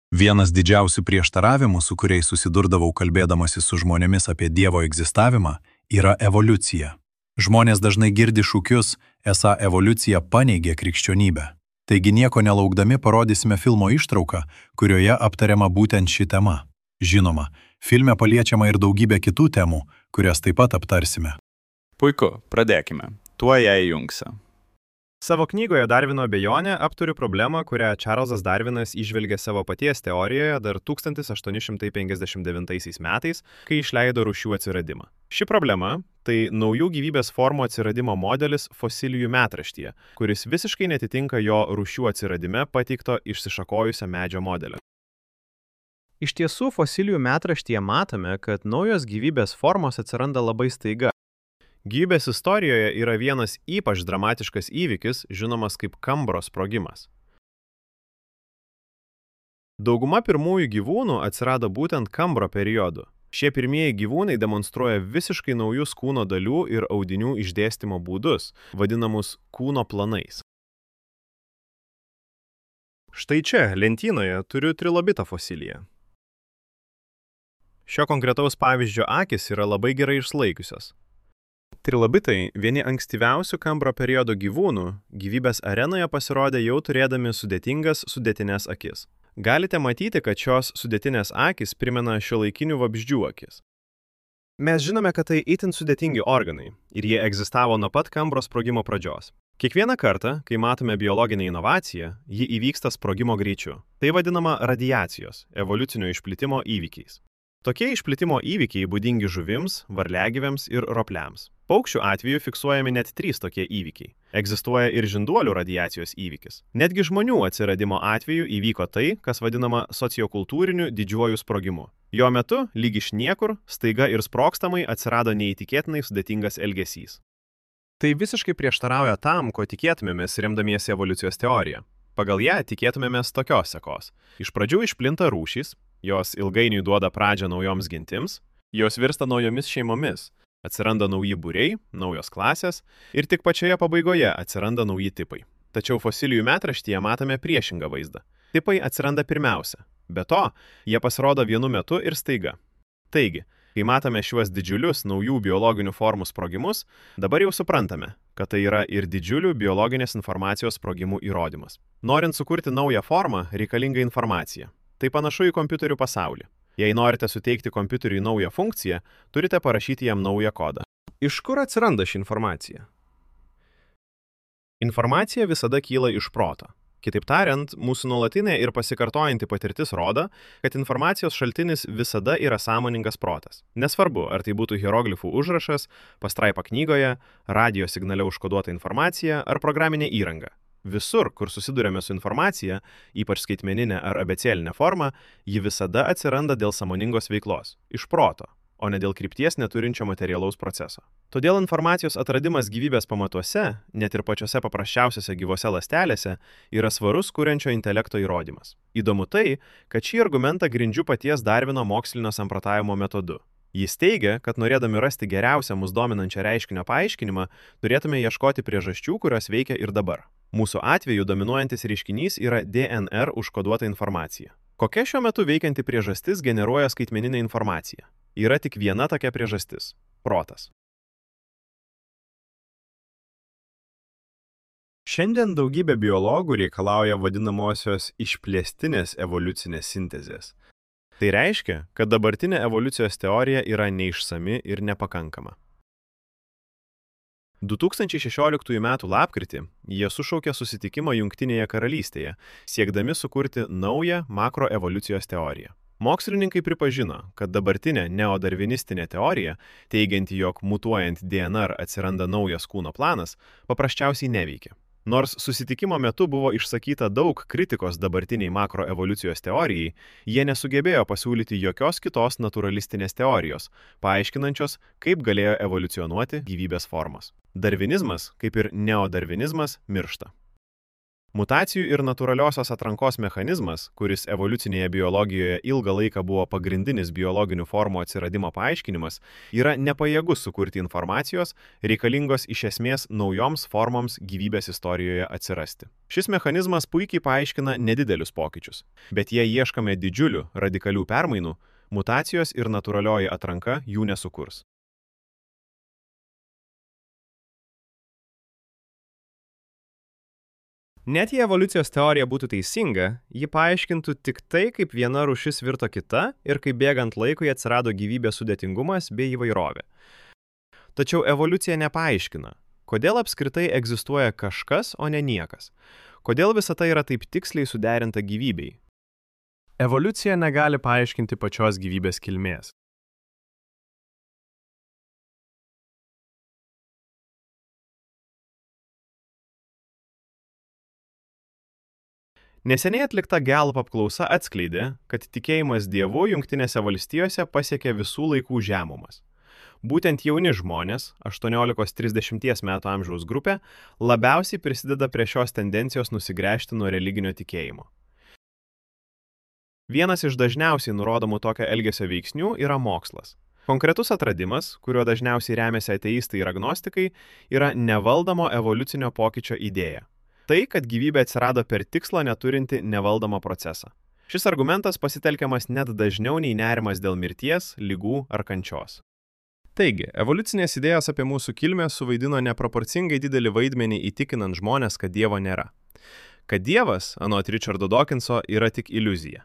Vienas didžiausių prieštaravimų, su kuriais susidurdavau kalbėdamasi su žmonėmis apie Dievo egzistavimą, yra evoliucija. Žmonės dažnai girdi šūkius, esą evoliucija paneigia krikščionybę. Taigi nieko nelaukdami parodysime filmo ištrauką, kurioje aptariama būtent ši tema. Žinoma, filme paliečiama ir daugybė kitų temų, kurias taip pat aptarsime. Puiku, pradėkime. Tuo ją įjungsiu. Savo knygoje Darvino abejonė aptariu problemą, kurią Čarlzas Darvinas įžvelgė savo paties teorijoje dar 1859 metais, kai išleido rūšių atsiradimą. Ši problema – tai naujų gyvybės formų atsiradimo modelis fosilijų metraštyje, kuris visiškai netitinka jo rūšių atsiradime pateikto išsišakojusio medžio modelio. Iš tiesų, fosilijų metraštyje matome, kad naujos gyvybės formos atsiranda labai staiga. Gyvybės istorijoje yra vienas ypač dramatiškas įvykis, žinomas kaip Kambro sprogimas. Dauguma pirmųjų gyvūnų atsirado būtent Kambro periodu. Šie pirmieji gyvūnai demonstruoja visiškai naujus kūno dalių ir audinių išdėstymo būdus, vadinamus kūno planais. Štai čia, lentynoje, turiu trilobitą fosiliją. Šio konkretaus pavyzdžio akys yra labai gerai išlaikiusios. Trilobitai, vieni ankstyviausių Kambro periodo gyvūnų, gyvybės arenoje pasirodė jau turėdami sudėtinės akis. Galite matyti, kad šios sudėtinės akys primena šiuolaikinių vabzdžių akis. Mes žinome, kad tai itin sudėtingi organai ir jie egzistavo nuo pat Kambro sprogimo pradžios. Kiekvieną kartą, kai matome biologinę inovaciją, ji įvyksta sprogimo greičiu. Tai vadinama radiacijos, evoliucinio išplitimo įvykiais. Tokie išplitimo įvykiai būdingi žuvims, varliagyviams ir ropliams. Paukščių atveju fiksuojami net 3 tokie įvykiai. Egzistuoja ir žinduolių radiacijos įvykis. Netgi žmonių atsiradimo atveju įvyko tai, kas vadinama sociokultūriniu didžiuoju sprogimu. Jo metu, lyg iš niekur, staiga ir sprogstamai atsirado neįtikėtinai sudėtingas elgesys. Tai visiškai prieštarauja tam, ko tikėtumėmės remdamiesi evoliucijos teorija. Pagal ją tikėtumėmės tokios sekos. Iš pradžių išplinta rūšys, jos ilgainiui duoda pradžią naujoms gentims, jos virsta naujomis šeimomis, atsiranda nauji būriai, naujos klasės ir tik pačioje pabaigoje atsiranda nauji tipai. Tačiau fosilijų metraštyje matome priešingą vaizdą. Tipai atsiranda pirmiausia. Be to, jie pasirodo vienu metu ir staiga. Taigi, kai matome šiuos didžiulius naujų biologinių formų sprogimus, dabar jau suprantame, kad tai yra ir didžiulių biologinės informacijos sprogimų įrodymas. Norint sukurti naują formą, reikalinga informacija. Tai panašu į kompiuterių pasaulį. Jei norite suteikti kompiuteriui naują funkciją, turite parašyti jam naują kodą. Iš kur atsiranda ši informacija? Informacija visada kyla iš proto. Kitaip tariant, mūsų nuolatinė ir pasikartojanti patirtis rodo, kad informacijos šaltinis visada yra sąmoningas protas. Nesvarbu, ar tai būtų hieroglifų užrašas, pastraipa knygoje, radijo signale užkoduota informacija ar programinė įranga. Visur, kur susidurėme su informacija, ypač skaitmeninė ar abėcėlinė forma, ji visada atsiranda dėl sąmoningos veiklos, iš proto, o ne dėl krypties neturinčio materialaus proceso. Todėl informacijos atradimas gyvybės pamatuose, net ir pačiose paprasčiausiose gyvose ląstelėse, yra svarus kuriančio intelekto įrodymas. Įdomu tai, kad šį argumentą grindžiu paties Darvino mokslinio samprotavimo metodu. Jis teigia, kad norėdami rasti geriausią mus dominančią reiškinio paaiškinimą, turėtume ieškoti priežasčių, kurios veikia ir dabar. Mūsų atveju dominuojantis reiškinys yra DNR užkoduota informacija. Kokia šiuo metu veikianti priežastis generuoja skaitmeninę informaciją? Yra tik viena tokia priežastis – protas. Šiandien daugybė biologų reikalauja vadinamosios išplėstinės evoliucinės sintezės. Tai reiškia, kad dabartinė evoliucijos teorija yra neišsami ir nepakankama. 2016 m. lapkritį jie sušaukė susitikimą Jungtinėje karalystėje, siekdami sukurti naują makroevoliucijos teoriją. Mokslininkai pripažino, kad dabartinė neodarvinistinė teorija, teigianti, jog mutuojant DNR atsiranda naujas kūno planas, paprasčiausiai neveikia. Nors susitikimo metu buvo išsakyta daug kritikos dabartiniai makroevoliucijos teorijai, jie nesugebėjo pasiūlyti jokios kitos naturalistinės teorijos, paaiškinančios, kaip galėjo evoliucionuoti gyvybės formos. Darvinizmas, kaip ir neodarvinizmas, miršta. Mutacijų ir natūraliosios atrankos mechanizmas, kuris evoliucinėje biologijoje ilgą laiką buvo pagrindinis biologinių formų atsiradimo paaiškinimas, yra nepajėgus sukurti informacijos, reikalingos iš esmės naujoms formoms gyvybės istorijoje atsirasti. Šis mechanizmas puikiai paaiškina nedidelius pokyčius, bet jei ieškome didžiulių, radikalių permainų, mutacijos ir natūralioji atranka jų nesukurs. Net jei evoliucijos teorija būtų teisinga, ji paaiškintų tik tai, kaip viena rūšis virto kita ir kaip bėgant laikui atsirado gyvybės sudėtingumas bei įvairovė. Tačiau evoliucija nepaaiškina, kodėl apskritai egzistuoja kažkas, o ne niekas. Kodėl visa tai yra taip tiksliai suderinta gyvybei. Evoliucija negali paaiškinti pačios gyvybės kilmės. Neseniai atlikta Gallup apklausa atskleidė, kad tikėjimas Dievu Jungtinėse valstijose pasiekė visų laikų žemumas. Būtent jauni žmonės, 18–30 metų amžiaus grupė, labiausiai prisideda prie šios tendencijos nusigręžti nuo religinio tikėjimo. Vienas iš dažniausiai nurodomų tokio elgesio veiksnių yra mokslas. Konkretus atradimas, kuriuo dažniausiai remiasi ateistai ir agnostikai, yra nevaldomo evoliucinio pokyčio idėja. Tai, kad gyvybė atsirado per tikslą neturinti nevaldomą procesą. Šis argumentas pasitelkiamas net dažniau nei nerimas dėl mirties, ligų ar kančios. Taigi, evoliucinės idėjos apie mūsų kilmę suvaidino neproporcingai didelį vaidmenį įtikinant žmonės, kad Dievo nėra. Kad Dievas, anot Richardo Dawkinso, yra tik iliuzija.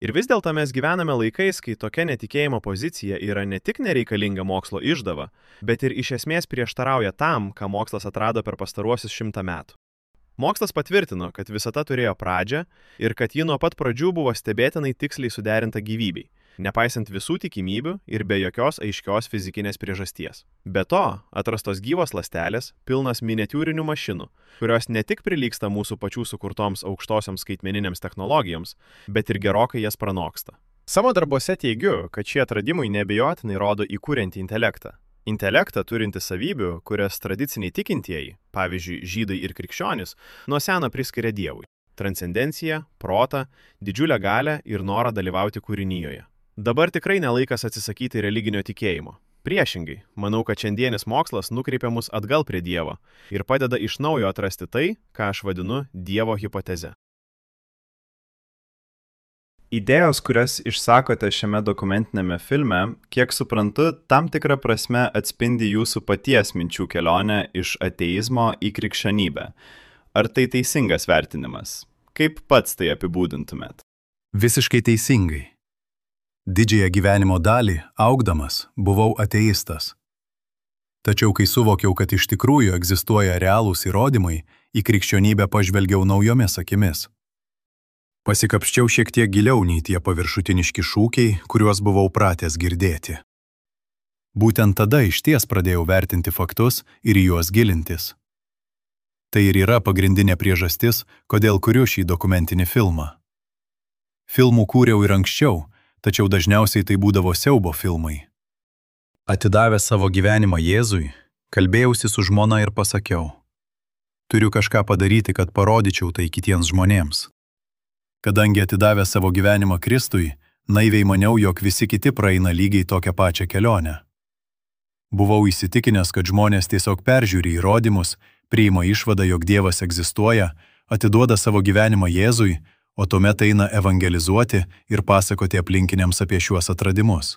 Ir vis dėlto mes gyvename laikais, kai tokia netikėjimo pozicija yra ne tik nereikalinga mokslo išdava, bet ir iš esmės prieštarauja tam, ką mokslas atrado per pastaruosius 100 metų. Mokslas patvirtino, kad visata turėjo pradžią ir kad ji nuo pat pradžių buvo stebėtinai tiksliai suderinta gyvybei, nepaisant visų tikimybių ir be jokios aiškios fizikinės priežasties. Be to, atrastos gyvos ląstelės, pilnas miniatiūrinių mašinų, kurios ne tik prilygsta mūsų pačių sukurtoms aukštosioms skaitmeninėms technologijoms, bet ir gerokai jas pranoksta. Savo darbuose teigiu, kad šie atradimai neabejotinai rodo įkuriantį intelektą. Intelektą turinti savybių, kurias tradiciniai tikintieji, pavyzdžiui, žydai ir krikščionys, nuo seno priskiria Dievui. Transcendenciją, protą, didžiulę galią ir norą dalyvauti kūrinyjoje. Dabar tikrai nelaikas atsisakyti religinio tikėjimo. Priešingai, manau, kad šiandienis mokslas nukreipia mus atgal prie Dievo ir padeda iš naujo atrasti tai, ką aš vadinu Dievo hipoteze. Idėjos, kurias išsakote šiame dokumentinėme filme, kiek suprantu, tam tikrą prasme atspindi jūsų paties minčių kelionę iš ateizmo į krikščionybę. Ar tai teisingas vertinimas? Kaip pats tai apibūdintumėt? Visiškai teisingai. Didžiąją gyvenimo dalį, augdamas, buvau ateistas. Tačiau kai suvokiau, kad iš tikrųjų egzistuoja realūs įrodymai, į krikščionybę pažvelgiau naujomis akimis. Pasikapščiau šiek tiek giliau nei tie paviršutiniški šūkiai, kuriuos buvau pratęs girdėti. Būtent tada išties pradėjau vertinti faktus ir į juos gilintis. Tai ir yra pagrindinė priežastis, kodėl kuriu šį dokumentinį filmą. Filmų kūriau ir anksčiau, tačiau dažniausiai tai būdavo siaubo filmai. Atidavęs savo gyvenimą Jėzui, kalbėjausi su žmona ir pasakiau: turiu kažką padaryti, kad parodyčiau tai kitiems žmonėms. Kadangi atidavęs savo gyvenimą Kristui, naiviai maniau, jog visi kiti praeina lygiai tokią pačią kelionę. Buvau įsitikinęs, kad žmonės tiesiog peržiūri įrodymus, priima išvadą, jog Dievas egzistuoja, atiduoda savo gyvenimą Jėzui, o tuomet eina evangelizuoti ir pasakoti aplinkiniams apie šiuos atradimus.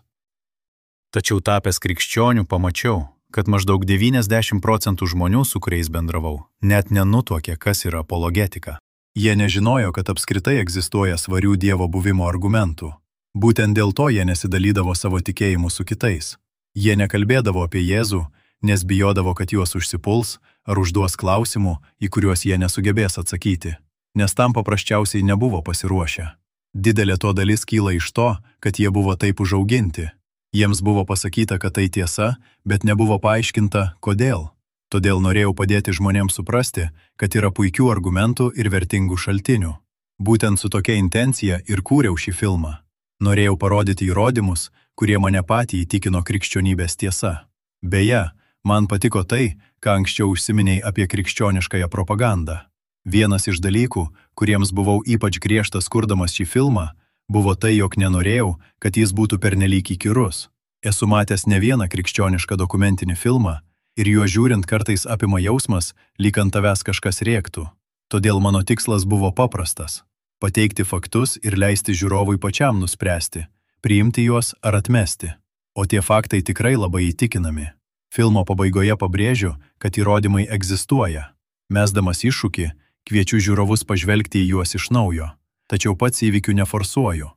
Tačiau tapęs krikščioniu pamačiau, kad maždaug 90% žmonių, su kuriais bendravau, net nenutuokė, kas yra apologetika. Jie nežinojo, kad apskritai egzistuoja svarių Dievo buvimo argumentų. Būtent dėl to jie nesidalydavo savo tikėjimu su kitais. Jie nekalbėdavo apie Jėzų, nes bijodavo, kad juos užsipuls ar užduos klausimų, į kuriuos jie nesugebės atsakyti, nes tam paprasčiausiai nebuvo pasiruošę. Didelė to dalis kyla iš to, kad jie buvo taip užauginti. Jiems buvo pasakyta, kad tai tiesa, bet nebuvo paaiškinta, kodėl. Todėl norėjau padėti žmonėms suprasti, kad yra puikių argumentų ir vertingų šaltinių. Būtent su tokia intencija ir kūriau šį filmą. Norėjau parodyti įrodymus, kurie mane patį įtikino krikščionybės tiesa. Beje, Man patiko tai, ką anksčiau užsiminiai apie krikščioniškąją propagandą. Vienas iš dalykų, kuriems buvau ypač griežtas kurdamas šį filmą, buvo tai, jog nenorėjau, kad jis būtų pernelyg įkyrus. Esu matęs ne vieną krikščionišką dokumentinį filmą ir juo žiūrint kartais apima jausmas, lyg ant tavęs kažkas rėktų. Todėl mano tikslas buvo paprastas – pateikti faktus ir leisti žiūrovui pačiam nuspręsti, priimti juos ar atmesti. O tie faktai tikrai labai įtikinami. Filmo pabaigoje pabrėžiu, kad įrodymai egzistuoja. Mesdamas iššūkį, kviečiu žiūrovus pažvelgti į juos iš naujo, tačiau pats įvykių neforsuoju.